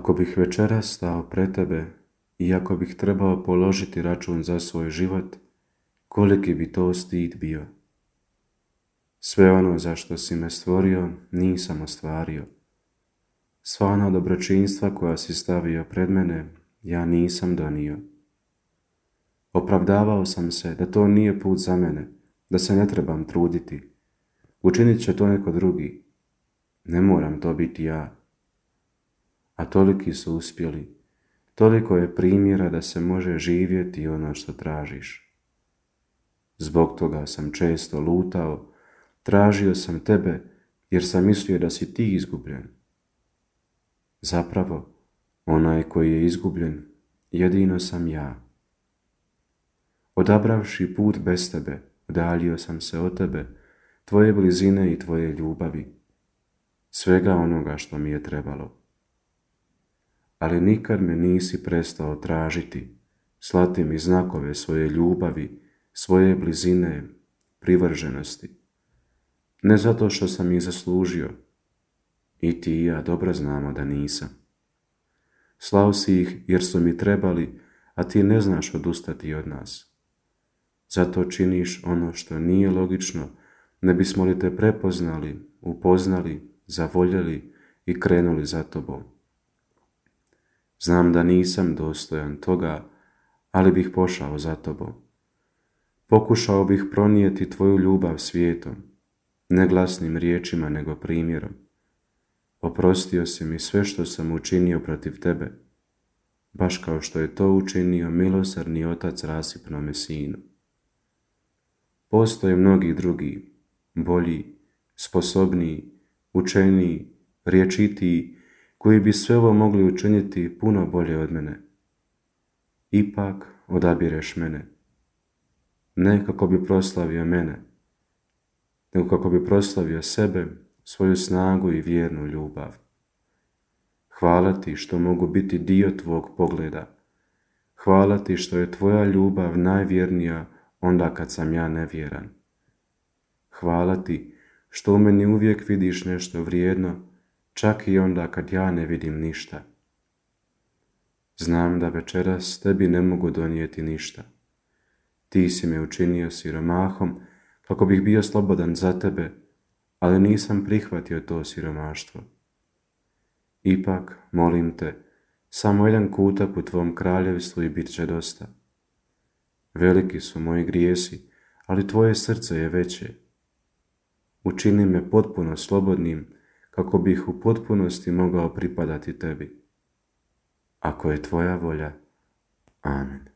Ako bih večeras stao pred tebe i ako bih trebao položiti račun za svoj život, koliki bi to stid bio. Sve ono za što si me stvorio nisam ostvario. Sva ona dobročinstva koja si stavio pred mene, ja nisam donio. Opravdavao sam se da to nije put za mene, da se ne trebam truditi. Učinit će to neko drugi. Ne moram to biti ja. A toliki su uspjeli. Toliko je primjera da se može živjeti ono što tražiš. Zbog toga sam često lutao, tražio sam tebe jer sam mislio da si ti izgubljen. Zapravo, onaj koji je izgubljen, jedino sam ja. Odabravši put bez tebe, udaljio sam se od tebe, tvoje blizine i tvoje ljubavi, svega onoga što mi je trebalo. Ali nikad me nisi prestao tražiti, slati mi znakove svoje ljubavi, svoje blizine, privrženosti. Ne zato što sam ih zaslužio, i ti i ja dobro znamo da nisam. Slao si ih jer su mi trebali, a ti ne znaš odustati od nas. Zato činiš ono što nije logično, ne bismo li te prepoznali, upoznali, zavoljeli i krenuli za tobom. Znam da nisam dostojan toga, ali bih pošao za tobom. Pokušao bih pronijeti tvoju ljubav svijetom, ne glasnim riječima nego primjerom. Oprostio si mi sve što sam učinio protiv tebe, baš kao što je to učinio milosrdni otac rasipnome sinu. Postoje mnogi drugi, bolji, sposobniji, učeniji, rječitiji, koji bi sve ovo mogli učiniti puno bolje od mene. Ipak odabireš mene. Ne kako bi proslavio mene, nego kako bi proslavio sebe, svoju snagu i vjernu ljubav. Hvala ti što mogu biti dio tvog pogleda. Hvala ti što je tvoja ljubav najvjernija onda kad sam ja nevjeran. Hvala ti što u meni uvijek vidiš nešto vrijedno, čak i onda kad ja ne vidim ništa. Znam da večeras tebi ne mogu donijeti ništa. Ti si me učinio siromahom kako bih bio slobodan za tebe, ali nisam prihvatio to siromaštvo. Ipak, molim te, samo jedan kutak u tvom kraljevstvu i bit će dosta. Veliki su moji grijesi, ali tvoje srce je veće. Učini me potpuno slobodnim, kako bih u potpunosti mogao pripadati tebi. Ako je tvoja volja, amen.